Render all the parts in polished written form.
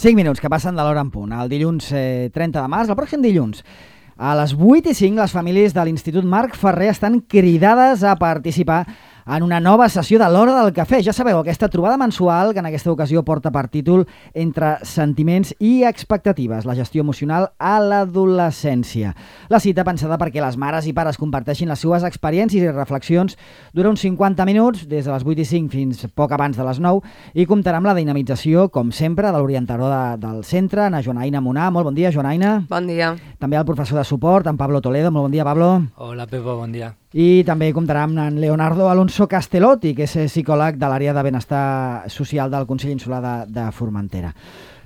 5 minuts que passen de l'hora en punt. El dilluns 30 de març, el pròxim dilluns, a les 8:05, les famílies de l'Institut Marc Ferrer estan cridades a participar en una nova sessió de l'Hora del Cafè. Ja sabeu, aquesta trobada mensual que en aquesta ocasió porta per títol Entre sentiments i expectatives, la gestió emocional a l'adolescència. La cita pensada perquè les mares i pares comparteixin les seues experiències i reflexions dura uns 50 minuts, des de les 8:05 fins poc abans de les 9, i comptarà amb la dinamització, com sempre, de l'orientador del centre, na Joanaina Munà. Molt bon dia, Joanaina. Bon dia. També el professor de suport, en Pablo Toledo. Molt bon dia, Pablo. Hola, Pepo, bon dia. I també comptarà amb en Leonardo Alonso Castellotti, que és psicòleg de l'àrea de benestar social del Consell Insular de Formentera.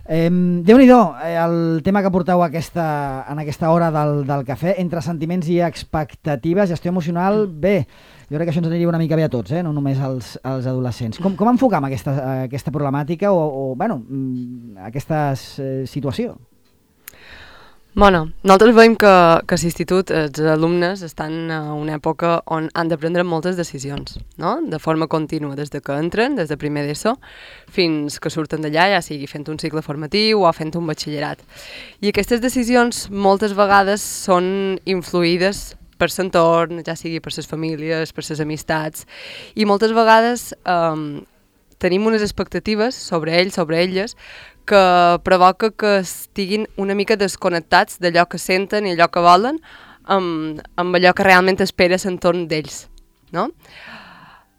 Déu-n'hi-do, el tema que porteu en aquesta hora del cafè, entre sentiments i expectatives, gestió emocional, bé, jo crec que això ens aniria una mica bé a tots, no només als adolescents. Com enfocam aquesta problemàtica o aquesta situació? Bueno, nosaltres veiem que a l'institut els alumnes estan en una època on han de prendre moltes decisions, no? De forma contínua, des que entren, des de primer d'ESO, fins que surten d'allà, ja sigui fent un cicle formatiu o fent un batxillerat. I aquestes decisions moltes vegades són influïdes per l'entorn, ja sigui per les famílies, per les amistats, i moltes vegades tenim unes expectatives sobre ells, sobre elles, que provoca que estiguin una mica desconnectats d'allò que senten i allò que volen amb allò que realment espera l'entorn d'ells, no?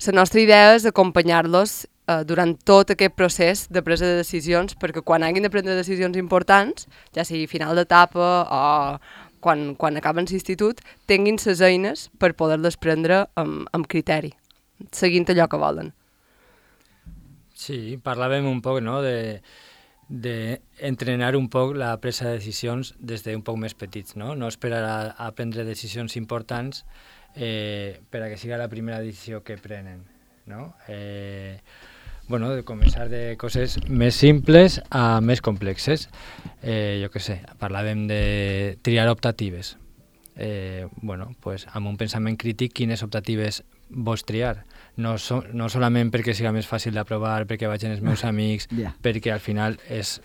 La nostra idea és acompanyar-los durant tot aquest procés de presa de decisions, perquè quan hagin de prendre decisions importants, ja sigui final d'etapa o quan acaben l'institut, tinguin les eines per poder-les prendre amb criteri, seguint allò que volen. Sí, parlàvem un poc, no?, de entrenar un poc la presa de decisions des d'un poc més petits, no? No esperar a prendre decisions importants per a que siga la primera decisió que prenen, no? De començar de coses més simples a més complexes. Jo què sé, parlàvem de triar optatives. Amb un pensament crític, quines optatives vols triar? No solament perquè siga més fàcil d'aprovar, perquè vagin els meus amics, perquè al final és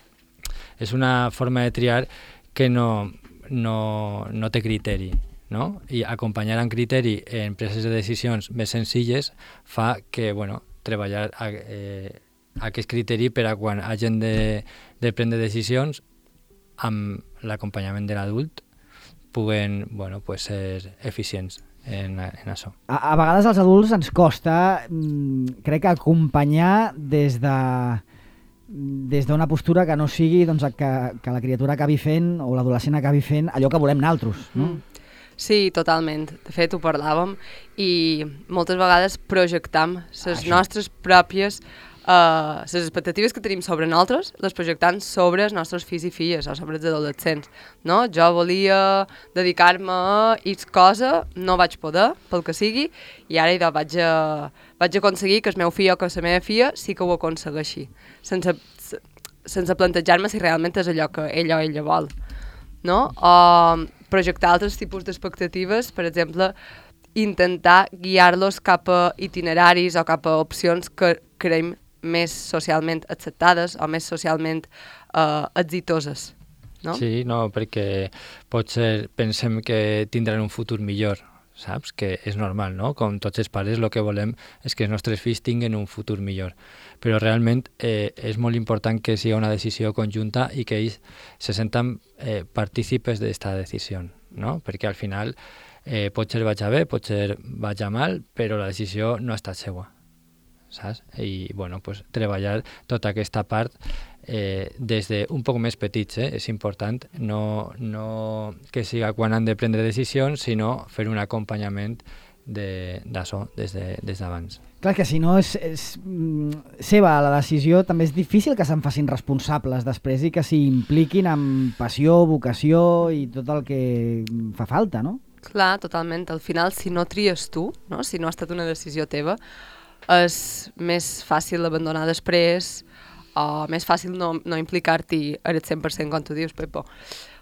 una forma de triar que no té criteri, no? I acompanyar amb criteri en preses de decisions més senzilles fa que, treballar aquest criteri per a quan hagin de prendre decisions amb l'acompanyament de l'adult puguen ser eficients en això. A vegades als adults ens costa, crec que acompanyar des d'una postura que no sigui que la criatura acabi fent o l'adolescent acabi fent allò que volem nosaltres, no? Sí, totalment. De fet, ho parlàvem i moltes vegades projectam les nostres pròpies les expectatives que tenim sobre nosaltres, les projectant sobre els nostres fills i filles o sobre els adolescents, no? Jo volia dedicar-me a X cosa, no vaig poder, pel que sigui, i ara vaig aconseguir que el meu fill o que la meva filla sí que ho aconsegueixi, sense plantejar-me si realment és allò que ell o ella vol, no? O projectar altres tipus d'expectatives, per exemple, intentar guiar-los cap a itineraris o cap a opcions que creiem més socialment acceptades o més socialment exitoses, no? Sí, perquè potser pensem que tindran un futur millor, saps? Que és normal, no? Com tots els pares el que volem és que els nostres fills tinguin un futur millor. Però realment és molt important que sigui una decisió conjunta i que ells se senten partícipes d'aquesta decisió, no? Perquè al final potser vagi bé, potser vagi mal, però la decisió no ha estat seva, saps? I treballar tota aquesta part des d'un poc més petits, és important, no que siga quan han de prendre decisions, sinó fer un acompanyament d'això des d'abans. Clar que si no és seva la decisió, també és difícil que se'n facin responsables després i que s'hi impliquin amb passió, vocació i tot el que fa falta, no? Clar, totalment. Al final, si no tries tu, no? Si no ha estat una decisió teva, és més fàcil abandonar després o més fàcil no implicar-t'hi al 100%, com tu dius, Pepo.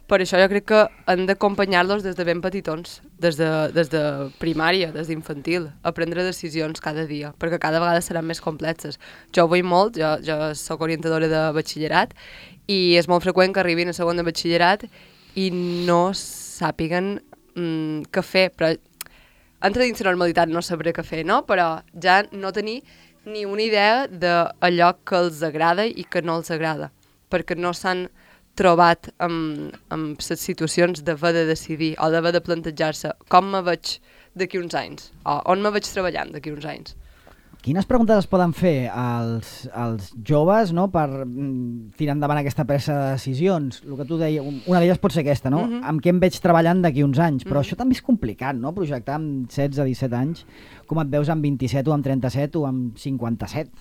Per això jo crec que hem d'acompanyar-los des de ben petitons, des de primària, des d'infantil, a prendre decisions cada dia, perquè cada vegada seran més complexes. Jo ho veig molt, jo soc orientadora de batxillerat i és molt freqüent que arribin a segon de batxillerat i no sàpiguen què fer, però entra dins la normalitat no saber què fer, no? Però ja no tenir ni una idea d'allò que els agrada i que no els agrada, perquè no s'han trobat amb les situacions d'haver de decidir o d'haver de plantejar-se com me veig d'aquí uns anys o on me veig treballant d'aquí uns anys. Quines preguntes es poden fer als joves, no, per tirar endavant aquesta presa de decisions? El que tu deies, una d'elles pot ser aquesta, no? Amb què em veig treballant d'aquí uns anys? Però això també és complicat, no? Projectar amb 16-17 anys, com et veus amb 27 o amb 37 o amb 57?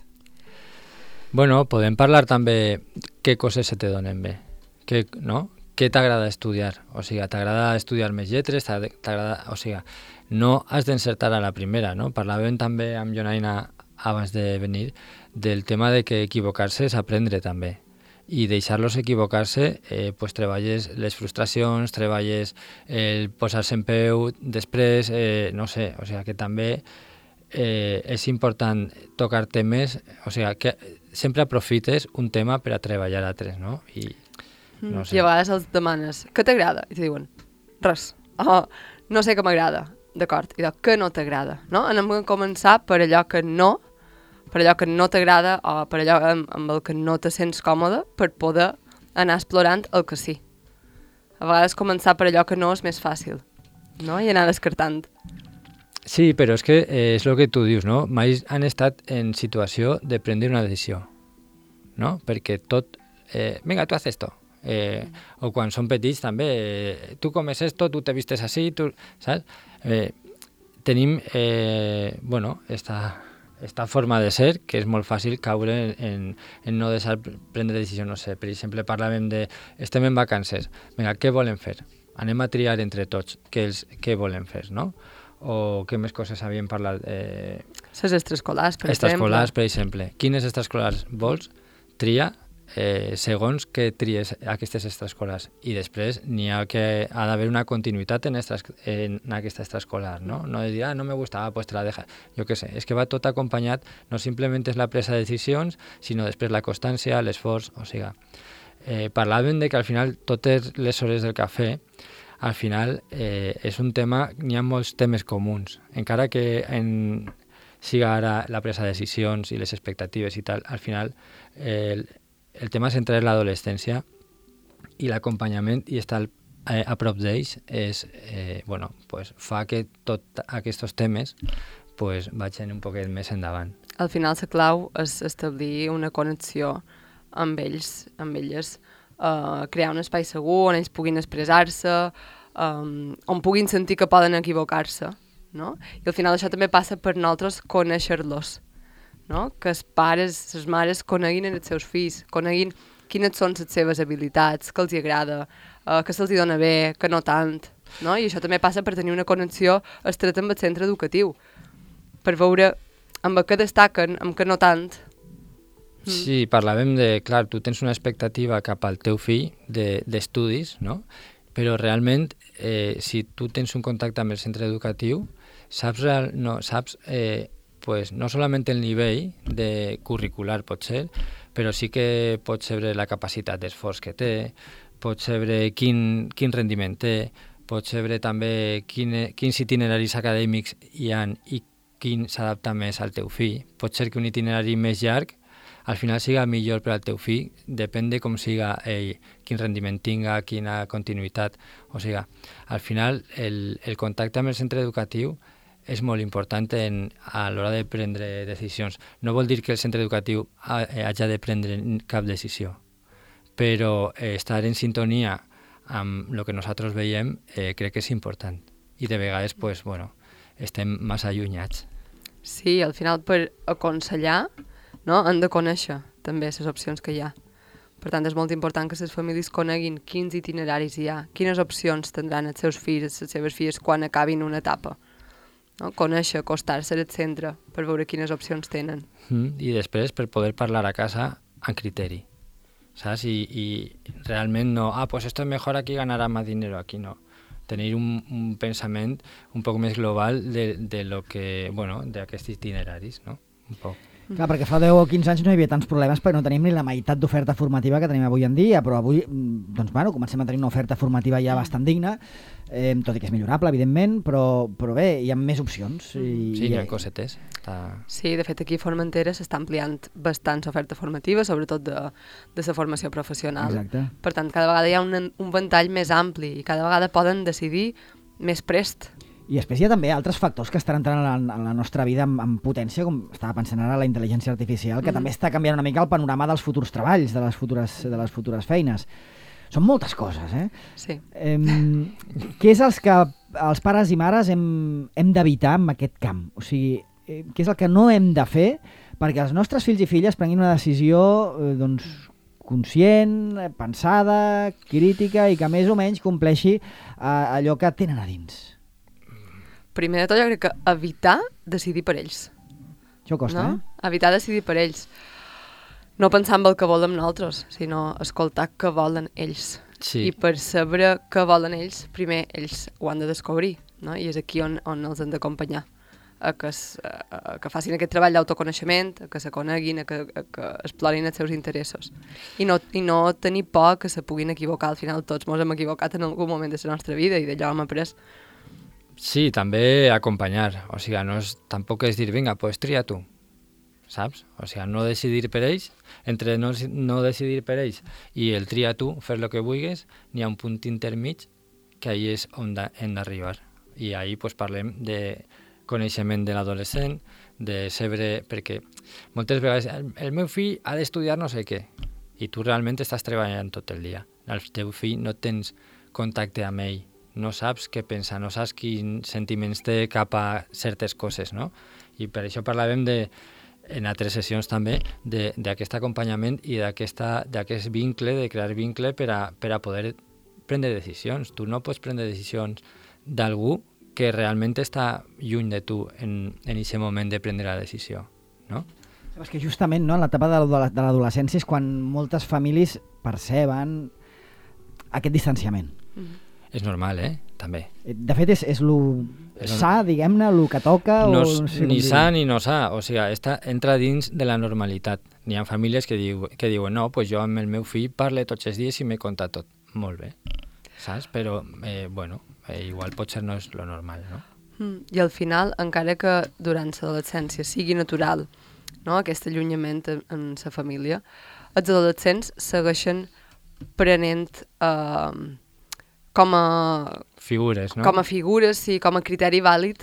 Bueno, podem parlar també què coses se te donen bé, no? Què t'agrada estudiar? O sigui, t'agrada estudiar més lletres? O sigui, no has d'encertar a la primera, no? Parlàvem també amb Jonaina abans de venir del tema de que equivocar-se és aprendre també. I deixar-los equivocar-se, pues treballes les frustracions, treballes el posar-se en peu després, no sé, o sigui que també és important tocar temes, o sigui que sempre aprofites un tema per a treballar altres, no? No sé. I a vegades els demanes, què t'agrada? I te diuen, res. Oh, no sé què m'agrada. D'acord, i què no t'agrada, no? Anem a començar per allò que no t'agrada o per allò amb el que no te sents còmode per poder anar explorant el que sí. A vegades començar per allò que no és més fàcil, no? I anar descartant. Sí, però és que és el que tu dius, no? Mai han estat en situació de prendre una decisió, no? Perquè tot, venga, tu haz esto. O quan són petits també, tu comes esto, tu te vistes así, tu, saps? Tenim bueno, esta forma de ser que és molt fàcil caure en no deixar prendre decisions, no sé, per exemple parlàvem de estem en vacances, vinga, què volem fer? Anem a triar entre tots què volem fer, no? O què més coses havíem parlat? Les extraescolars, per exemple. Extraescolars, per exemple. Quines extraescolars vols? Tria segons que tries aquestes extraescolars, i després n'hi ha que ha d'haver una continuïtat en aquesta extraescolar, no? No de dir, no me gusta, pues te la dejas. Jo què sé, és que va tot acompanyat, no simplement és la presa de decisions, sinó després la constància, l'esforç, o sigui, parlàvem de que al final totes les hores del cafè al final és un tema, n'hi ha molts temes comuns, encara que siga ara la presa de decisions i les expectatives i tal, al final el tema central és l'adolescència i l'acompanyament i estar a prop d'ells bueno, pues, fa que tots aquests temes pues, vagin un poquet més endavant. Al final la clau és establir una connexió amb ells, amb elles, crear un espai segur on ells puguin expressar-se, on puguin sentir que poden equivocar-se, no? I al final això també passa per nosaltres conèixer-los, no? Que els pares, les mares coneguin els seus fills, coneguin quines són les seves habilitats, què els agrada, que se'ls dona bé, que no tant, no? I això també passa per tenir una connexió estreta amb el centre educatiu, per veure amb què destaquen, amb què no tant. Sí, parlàvem de, clar, tu tens una expectativa cap al teu fill d'estudis, no? Però realment, si tu tens un contacte amb el centre educatiu, saps pues no solament el nivell de curricular pot ser, però sí que pots saber la capacitat d'esforç que té, pots saber quin rendiment té, pots saber també quins itineraris acadèmics hi ha i quin s'adapta més al teu fill. Pot ser que un itinerari més llarg al final siga millor per al teu fill, depèn de com siga ell, quin rendiment tinga, quina continuïtat. O sigui, al final el contacte amb el centre educatiu és molt important a l'hora de prendre decisions. No vol dir que el centre educatiu hagi de prendre cap decisió, però estar en sintonia amb el que nosaltres veiem crec que és important. I de vegades pues, bueno, estem massa allunyats. Sí, al final per aconsellar, no, han de conèixer també les opcions que hi ha. Per tant, és molt important que les famílies coneguin quins itineraris hi ha, quines opcions tindran els seus fills, les seves filles quan acabin una etapa. No? Conèixer, acostar-se al centre per veure quines opcions tenen. I després per poder parlar a casa amb criteri, saps? I realment no, pues esto es mejor aquí, ganará más dinero, aquí no. Tenir un pensament un poc més global de lo que, bueno, d'aquests itineraris, no? Un poc. Clar, perquè fa 10 o 15 anys no hi havia tants problemes perquè no tenim ni la meitat d'oferta formativa que tenim avui en dia, però avui doncs, bueno, comencem a tenir una oferta formativa ja bastant digna, tot i que és millorable, evidentment, però bé, hi ha més opcions. Sí, hi ha cosetes. Sí, de fet aquí a Formentera s'està ampliant bastant l'oferta formativa, sobretot de la formació professional. Exacte. Per tant, cada vegada hi ha un ventall més ampli i cada vegada poden decidir més prest. I després hi ha també altres factors que estan entrant en la nostra vida amb potència, com estava pensant ara la intel·ligència artificial, que també està canviant una mica el panorama dels futurs treballs, de les futures feines. Són moltes coses, eh? Sí. Què és els que els pares i mares hem d'evitar en aquest camp? O sigui, què és el que no hem de fer perquè els nostres fills i filles prenguin una decisió doncs, conscient, pensada, crítica i que més o menys compleixi allò que tenen a dins? Primer de tot, jo crec que evitar decidir per ells. Això costa, no? Evitar decidir per ells. No pensar en el que volem nosaltres, sinó escoltar què volen ells. Sí. I per saber què volen ells, primer ells ho han de descobrir, no? I és aquí on els hem d'acompanyar, a que facin aquest treball d'autoconeixement, a que se coneguin, a que explorin els seus interessos. I no tenir por que se puguin equivocar. Al final tots ens hem equivocat en algun moment de la nostra vida i d'allò hem après. Sí, també acompanyar. O sigui, tampoc és dir, vinga, pues tria tu, saps? O sigui, no decidir per ells, entre no decidir per ells i el tria tu, fer el que vulguis, n'hi ha un punt intermig que ahí és on hem d'arribar. I ahí pues, parlem de coneixement de l'adolescent, de saber, perquè moltes vegades el meu fill ha d'estudiar no sé què, i tu realment estàs treballant tot el dia. El teu fill no tens contacte amb ell, no saps què pensa, no saps quins sentiments té cap a certes coses, no? I per això parlàvem en altres sessions també d'aquest acompanyament i d'aquest vincle, de crear vincle per a poder prendre decisions. Tu no pots prendre decisions d'algú que realment està lluny de tu en aquest moment de prendre la decisió, no? És que justament no, en l'etapa de l'adolescència és quan moltes famílies perceben aquest distanciament. És normal, també. De fet, és lo sa, diguem-ne, lo que toca... No, o no sé ni sa ni no sa, o sigui, entra dins de la normalitat. N'hi ha famílies que diuen, no, pues jo amb el meu fill parle tots els dies i m'he contat tot. Molt bé, saps? Però, igual potser no és lo normal, no? I al final, encara que durant l'adolescència sigui natural, no?, aquest allunyament en la família, els adolescents segueixen prenent... com a figures, no? Com a figures, sí, com a criteri vàlid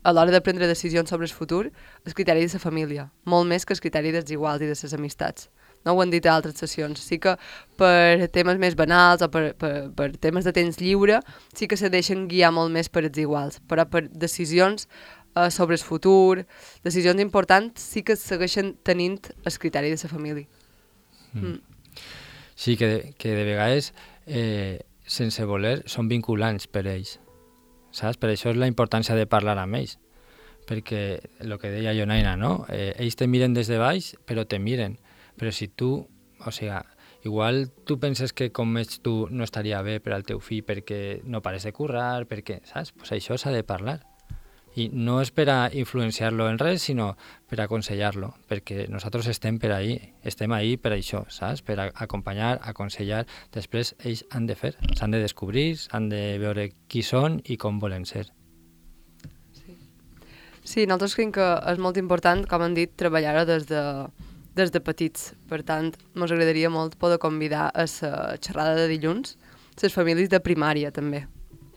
a l'hora de prendre decisions sobre el futur, el criteri de la família, molt més que el criteri dels iguals i de les amistats. No ho han dit a altres sessions. Sí que per temes més banals o per temes de temps lliure sí que se deixen guiar molt més per els iguals, però per decisions sobre el futur, decisions importants, sí que segueixen tenint el criteri de la família. Sí, que de vegades... sense voler, són vinculants per ells, saps? Per això és la importància de parlar amb ells, perquè el que deia Jonaina, no? Ells te miren des de baix, però te miren, però si tu, o sigui, igual tu penses que com ets tu no estaria bé per al teu fill perquè no pares de currar, perquè, saps? Pues això s'ha de parlar. I no és per a influenciar-lo en res, sinó per a aconsellar-lo, perquè nosaltres estem ahí per això, saps? Per a acompanyar, aconsellar. Després ells han de fer, s'han de descobrir, han de veure qui són i com volen ser. Sí, nosaltres creiem que és molt important, com han dit, treballar-ho des de petits. Per tant, ens agradaria molt poder convidar a la xerrada de dilluns les famílies de primària, també.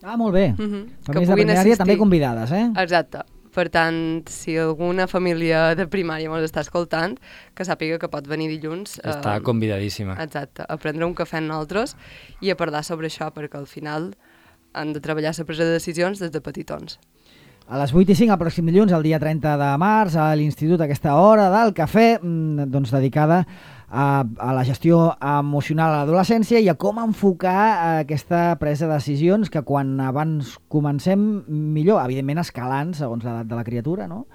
Ah, molt bé. Famílies de primària assistir. també convidades, Exacte. Per tant, si alguna família de primària ens està escoltant, que sàpiga que pot venir dilluns... Està convidadíssima. Exacte, a prendre un cafè amb nosaltres i a parlar sobre això, perquè al final han de treballar la presa de decisions des de petitons. A les 8:05, el pròxim dilluns, el dia 30 de març, a l'Institut, aquesta hora del cafè, doncs dedicada a la gestió emocional a l'adolescència i a com enfocar aquesta presa de decisions que quan abans comencem millor, evidentment escalant segons l'edat de la criatura, no?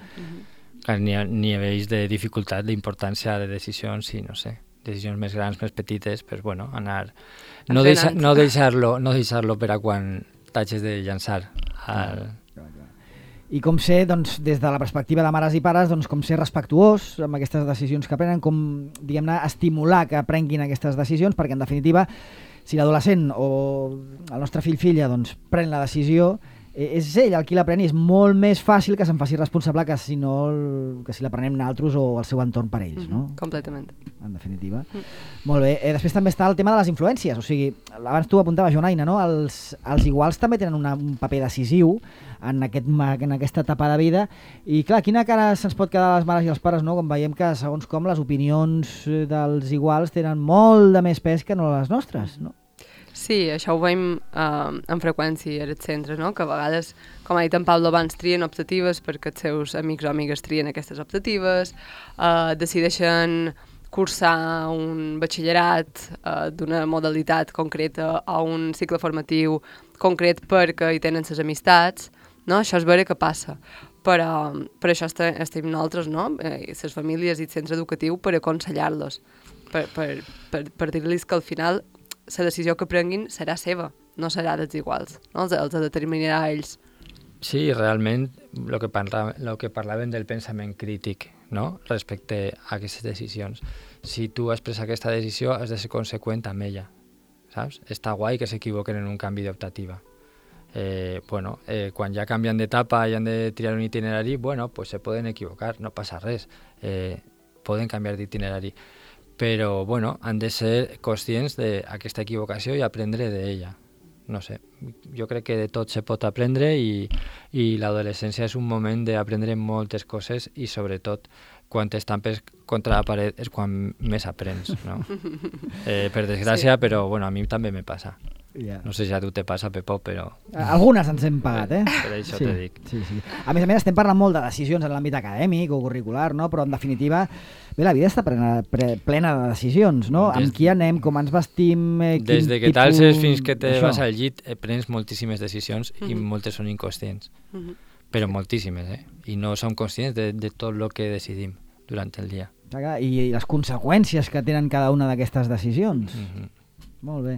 N'hi ha veus de dificultat, d'importància de decisions, sí, no sé, decisions més grans, més petites, però bueno, anar... No deixar-lo per a quan t'hagis de llançar al... i com ser, doncs, des de la perspectiva de mares i pares, doncs, com ser respectuós amb aquestes decisions que prenen, com, diguem-ne, estimular que prenguin aquestes decisions, perquè, en definitiva, si l'adolescent o el nostre fill-filla doncs, pren la decisió, és ell el qui la pren i és molt més fàcil que se'n faci responsable que si la prenem nosaltres o el seu entorn per ells, no? Completament. En definitiva. Molt bé. Després també està el tema de les influències, o sigui, abans tu apuntaves, Joan-Aina, no? Els iguals també tenen un paper decisiu en aquesta etapa de vida i clar, quina cara se'ns pot quedar a les mares i als pares, no? Com veiem que segons com les opinions dels iguals tenen molt de més pes que no les nostres, no? Sí, això ho veiem amb freqüència als centres, no? Que a vegades, com ha dit en Pablo abans, trien optatives perquè els seus amics o amigues trien aquestes optatives, decideixen cursar un batxillerat d'una modalitat concreta o un cicle formatiu concret perquè hi tenen les amistats, no? Això és veure què passa. Però per això estem nosaltres, no? Les famílies i el centre educatiu per aconsellar-los, per dir-los que al final la decisió que prenguin serà seva, no serà dels iguals, no? Els determinarà a ells. Sí, realment, el que parlaven del pensament crític, no? Respecte a aquestes decisions. Si tu has pres aquesta decisió, has de ser conseqüent amb ella, saps? Està guai que s'equivoquen en un canvi d'optativa. Quan ja canvien d'etapa i han de triar un itinerari, pues se poden equivocar, no passa res. Poden canviar d'itinerari. Però, han de ser conscients d'aquesta equivocació i aprendre d'ella. No sé, jo crec que de tot se pot aprendre i l'adolescència és un moment d'aprendre moltes coses i sobretot quan t'estampes contra la paret és quan més aprens, no? Per desgràcia, sí. Però a mi també me passa. Yeah. No sé si a tu te passa, Pepó, però... Algunes ens hem pagat, Per això sí, te dic. Sí. A més, estem parlant molt de decisions en l'àmbit acadèmic o curricular, no? Però en definitiva, la vida està plena de decisions, no? Amb qui anem, com ens vestim... Des de que t'alces fins que te vas al llit, prens moltíssimes decisions i moltes són inconscients. Però moltíssimes, I no som conscients de tot el que decidim durant el dia. I les conseqüències que tenen cada una d'aquestes decisions. Molt bé.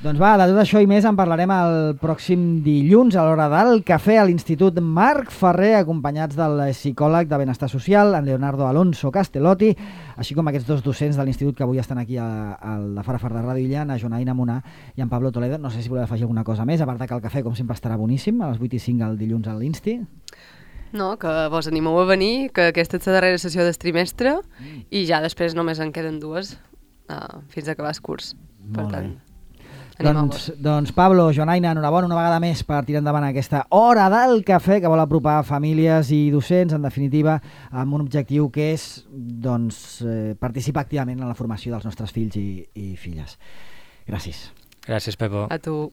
Doncs va, de tot això i més en parlarem el pròxim dilluns a l'hora del cafè a l'Institut Marc Ferrer, acompanyats del psicòleg de Benestar Social, en Leonardo Alonso Castellotti, així com aquests dos docents de l'Institut que avui estan aquí al de Fara de Ràdio Illa, en Joan-Aina Munà i en Pablo Toledo. No sé si voleu afegir alguna cosa més, a part que el cafè, com sempre, estarà boníssim, a les 8:05 el dilluns a l'Insti. No, que vos animeu a venir, que aquesta és la darrera sessió del trimestre i ja després només en queden dues fins a acabar el curs. Per tant, doncs Pablo, Joan-Aina, enhorabona una vegada més per tirar endavant aquesta hora del cafè que vol apropar famílies i docents, en definitiva, amb un objectiu que és participar activament en la formació dels nostres fills i filles. Gràcies. Gràcies, Pepo. A tu.